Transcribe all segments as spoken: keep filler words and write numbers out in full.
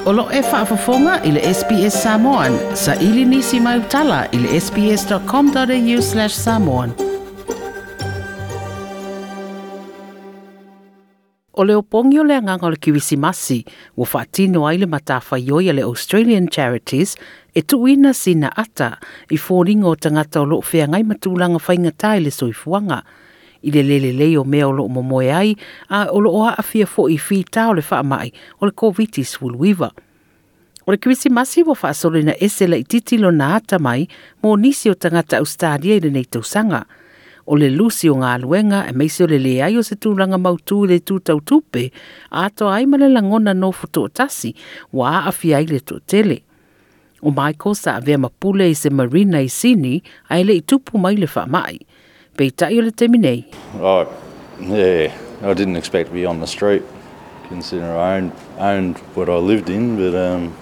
O lo e faafofoga i le S B S Samoan, sa ili nisi mai utala i le S B S dot com dot A U slash samoan. O le opogi o le agaga o le Kerisimasi, ua faatino ai le matafaioi a le Australian Charities e tuuina sina ata i foliga o tagata o loo feagai ma tulaga faigata i le soifuaga. I le lelelei o mea o loo momoe ai, a o loo aafia foi i fita o le faamai o le COVID nineteen. O le Kerisimasi ua faasolina ese laititi lona ata mai mo nisi o tagata Australia i lenei tausaga. O le lusi o galuega e meise o le leai o se tulaga mautū i le tūtau tupe, atoa ai ma le lagona nofo toatasi, ua aafia ai le toatele. O Michael sa avea ma pule i se marina i Sydney ae le i tupu mai le faamai. Peitai o le taimi nei. Oh, yeah, I didn't expect to be on the street, considering I owned, owned what I lived in, but um,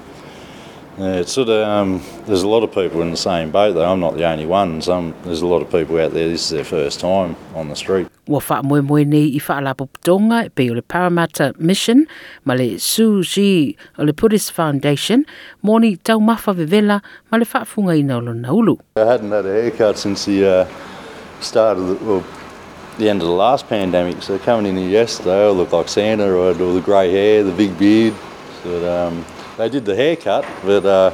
yeah, it's sort of, um, there's a lot of people in the same boat though. I'm not the only one. Some, there's a lot of people out there, this is their first time on the street. Ua faamoemoe nei i faalapotopotoga e pei o le Parramatta Mission ma le Tzu Chi o le Buddhist Foundation mo ni taumafa vevela ma le faafugaina o lona ulu. I hadn't had a haircut since the uh, start of the, well, the end of the last pandemic. So coming in here yesterday, I looked like Santa. I had all the grey hair, the big beard. So um, they did the haircut, but uh,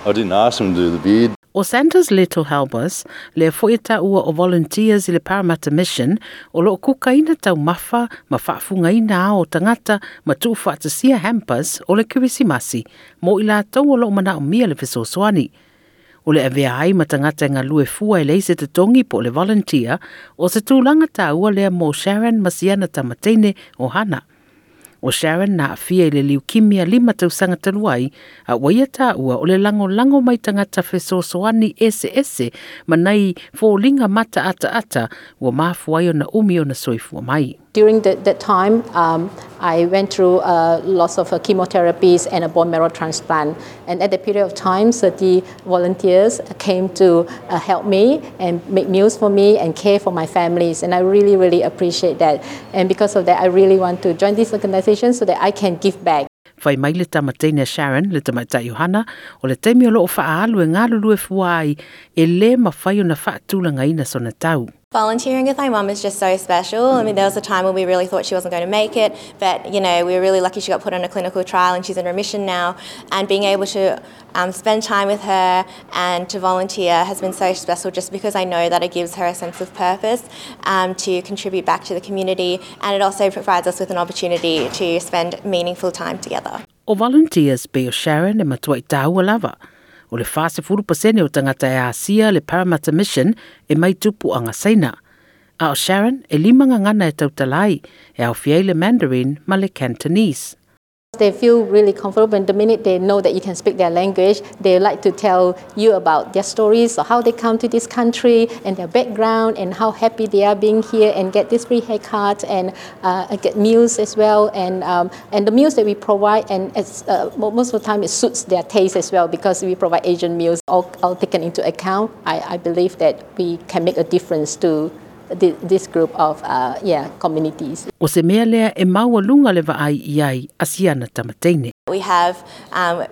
I didn't ask them to do the beard. O Santa's Little Helpers, le foi taua o volunteers i le Parramatta Mission, o loo kukaina taumafa ma faafugaina ao o tagata ma tuufaatasia hampers o le Kerisimasi, mo i latou o loo manaomia le fesoasoani. O le avea ai ma tagata e galue fua e leai se totogi po o le volunteer, o se tulaga taua lea mo Sharon ma siana tamateine o Hana. O Sharon na aafia i le leukemia lima tausaga talu ai, a ua ia taua o le lagolago mai tagata fesoasoani eseese ma nai foliga mata ataata ua mafua ai ona umi ona soifua mai. During the, that time, um, I went through uh, lots of uh, chemotherapies and a bone marrow transplant. And at that period of time, so the volunteers came to uh, help me and make meals for me and care for my families. And I really, really appreciate that. And because of that, I really want to join this organization so that I can give back. Fai mai le tamateine Sharon, le tamaitai o Hana, o le taimi o loo faaalu e galulue fua ai, e lē mafai ona faatulagaina sona tau. Volunteering with my mum is just so special. I mean, there was a time when we really thought she wasn't going to make it, but you know, we were really lucky she got put on a clinical trial and she's in remission now. And being able to um, spend time with her and to volunteer has been so special just because I know that it gives her a sense of purpose um, to contribute back to the community, and it also provides us with an opportunity to spend meaningful time together. O volunteers pe o Sharon e matua i tāua lava. O le forty pasene o tagata e asia le Parramatta Mission e mai tupuaga Saina. A o Sharon e lima gagana e tautala ai, e aofia ai le Mandarin ma le Cantonese. They feel really comfortable, and the minute they know that you can speak their language, they like to tell you about their stories or how they come to this country and their background and how happy they are being here and get this free haircut and uh, get meals as well. And, um, and the meals that we provide, and it's, uh, most of the time it suits their taste as well because we provide Asian meals, all, all taken into account. I, I believe that we can make a difference to this group of uh, yeah, communities. O se mea lea e maualuga le vaai i ai a siana tamateine. We have um,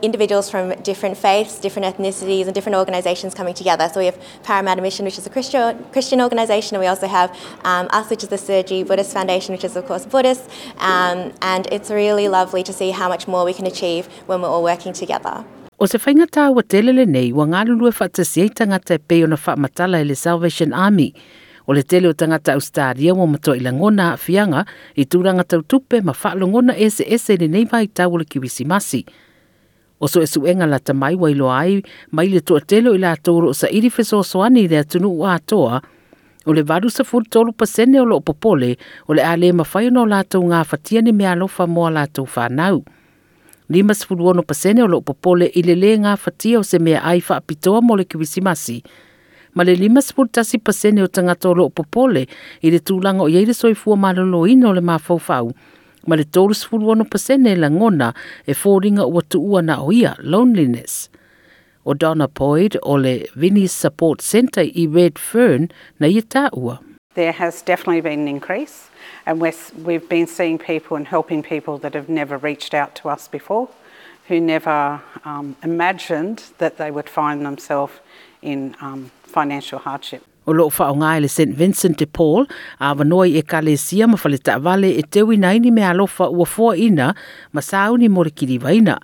individuals from different faiths, different ethnicities, and different organisations coming together. So we have Parramatta Mission, which is a Christian, Christian organisation, and we also have um, us, which is the Tzu Chi Buddhist Foundation, which is, of course, Buddhist. Um, and it's really lovely to see how much more we can achieve when we're all working together. O se faiga taua tele lenei ua galulue faatasi ai tagata e pei ona faamatala e le Salvation Army. O le tele o tagata Australia ua matuai lagona aafiaga i tulaga tau tupe ma faalogona eseese i lenei vaitau o le Kerisimasi. O suesuega lata mai ua iloa ai mai le toatele o i latou o loo saili fesoasoani i le atunuu atoa, o le eighty-three pasene o loo popole o le a le mafai ona o latou gafatia ni meaalofa mo a latou fanau. fifty-six pasene o loo popole i le lē gafatia o se meaai faapitoa mo le Kerisimasi. Ma le fifty-one pasene o tagata o loo popole i le tulaga o iai le soifua maloloina o le mafaufau. Ma le thirty-six pasene lagona e foliga ua tuua na o ia, loneliness. O Donna Boyd o le Vinnie's Support Centre i Redfern na ia taua. There has definitely been an increase, and we're, we've been seeing people and helping people that have never reached out to us before. who never um, imagined that they would find themselves in um, financial hardship. O loo whaonga le Saint Vincent de Paul, avanoa i ekalesia ma fale taavale e teuina ai ni meaalofa ua foaina ma sauni mo le kilivaina.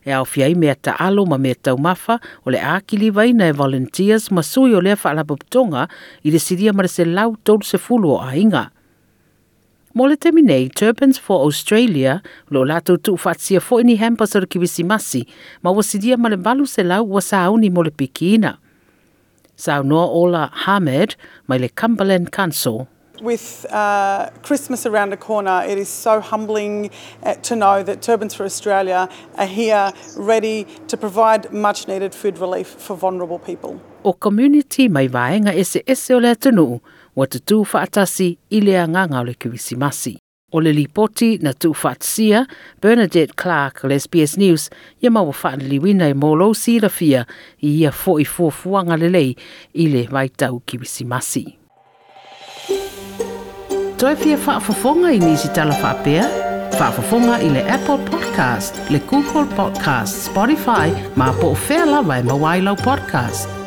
E aofia ai mea taalo ma mea taumafa o le a kilivaina e volunteers ma sui o lea faalapotopotoga i le silia ma le selau tolu sefulu o aiga. Mo le taimi nei, Turbans for Australia, lo latou tuufaatasia foi ni hampers o le Kirisimasi, ma ua silia ma le valu selau ua sauni mo le pikiina. Saunoa Ola Hamed mai le Cumberland Council. With uh, Christmas around the corner, it is so humbling uh, to know that Turbans for Australia are here ready to provide much needed food relief for vulnerable people. O community mai vaega eseese o le atunuu, ua tutū faatasi i le agaga o le Kirisimasi. O le lipoti na tuufaatasia Bernadette Clark o le S B S News, ia ma ua faaliliuina e mo lou silafia i ia foi fuafuaga lelei i le vaitau Kirisimasi. Toe fia faafofoga i nisi tala faapea? Faafofoga i le Apple Podcast, le Google Podcast, Spotify, ma po o fea lava e maua ai lau podcast.